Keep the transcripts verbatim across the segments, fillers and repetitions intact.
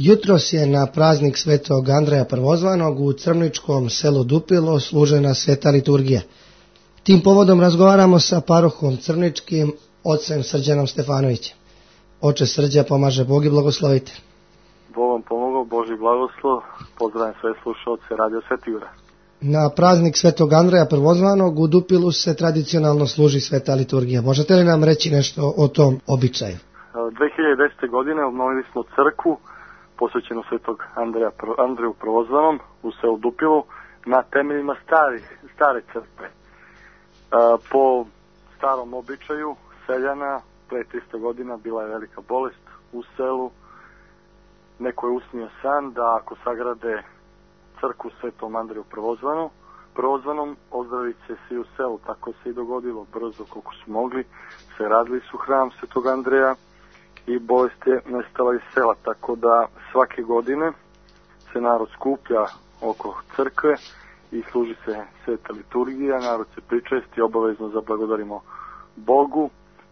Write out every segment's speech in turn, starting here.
Jutros je na praznik Svetog Andreja Prvozvanog u crmničkom selu Dupilo služena sveta liturgija. Tim povodom razgovaramo sa parohom crmničkim, ocem Srđanom Stefanovićem. Oče Srđa, pomaže Bog i blagoslovite. Bog vam pomogao, Boži blagoslov, pozdravljam sve slušalce Radio Svetigora. Na praznik Svetog Andreja Prvozvanog u Dupilu se tradicionalno služi sveta liturgija. Možete li nam reći nešto o tom običaju? dve hiljade desete. godine obnovili smo crkvu posvećenu Svetog Andreja, Andreju Prvozvanom u selu Dupilu na temeljima starih, stare crkve. Po starom običaju seljana pre tristo godina bila je velika bolest u selu. Neko je usnio san da ako sagrade crkvu Svetom Andreju Prvozvanom, Prvozvanom ozdravit će svi u selu. Tako se i dogodilo, brzo koliko su mogli. Se radili su hram Svetog Andreja i bolest je nestala iz sela, tako da svake godine se narod skuplja oko crkve i služi se sveta liturgija, narod se pričesti, obavezno zablagodarimo Bogu.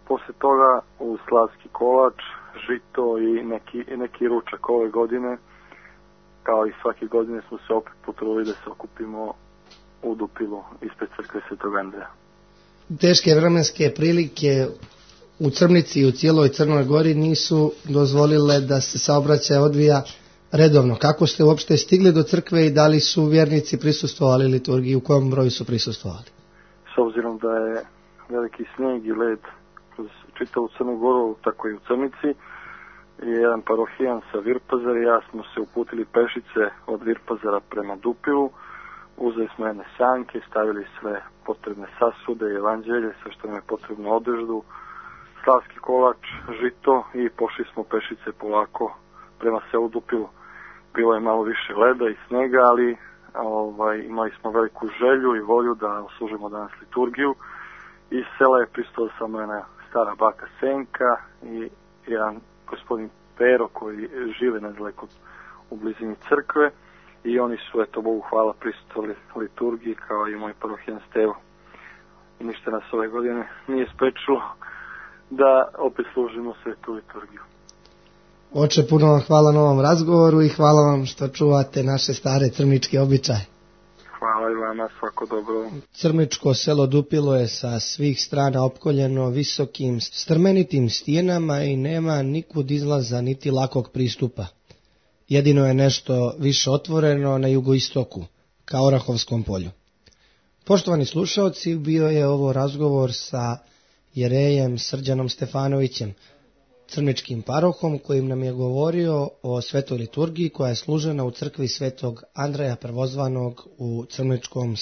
Posle toga u slavski kolač, žito i neki, neki ručak. Ove godine, kao i svake godine, smo se opet potrudili da se okupimo u Dupilu ispred crkve Svetog Andreja. Teške vremenske prilike u Crmnici i u cijeloj Crnoj Gori nisu dozvolile da se saobraćaj odvija redovno. Kako ste uopšte stigli do crkve i da li su vjernici prisustvovali liturgiji, u kojem broju su prisustvovali? S obzirom da je veliki snijeg i led kroz čitavu Crnu Goru, tako i u Crnici, i jedan parohijan sa Virpazara i ja smo se uputili pešice od Virpazara prema Dupilu. Uzeli smo jedne sanke, stavili sve potrebne sasude i evanđelje, sve što nam je potrebno, odeždu, slavski kolač, žito i pošli smo pešice polako prema selu Dupilu. Bilo je malo više leda i snega, ali ovaj, imali smo veliku želju i volju da oslužimo danas liturgiju. Iz sela je pristala samo jedna stara baka Senka i jedan gospodin Pero koji žive nedaleko u blizini crkve i oni su, eto Bogu hvala, prisustvovali liturgiji kao i moj parohijan Stevo. I ništa nas ove godine nije sprečilo da opet služimo svetu liturgiju. Oče, puno vam hvala na ovom razgovoru i hvala vam što čuvate naše stare crmničke običaje. Hvala i vama, svako dobro. Crmničko selo Dupilo je sa svih strana opkoljeno visokim strmenitim stijenama i nema nikud izlaza niti lakog pristupa. Jedino je nešto više otvoreno na jugoistoku, ka Orahovskom polju. Poštovani slušaoci, bio je ovo razgovor sa jerejem Srđanom Stefanovićem, crmničkim parohom, kojim nam je govorio o svetoj liturgiji koja je služena u crkvi Svetog Andreja Prvozvanog u crmničkom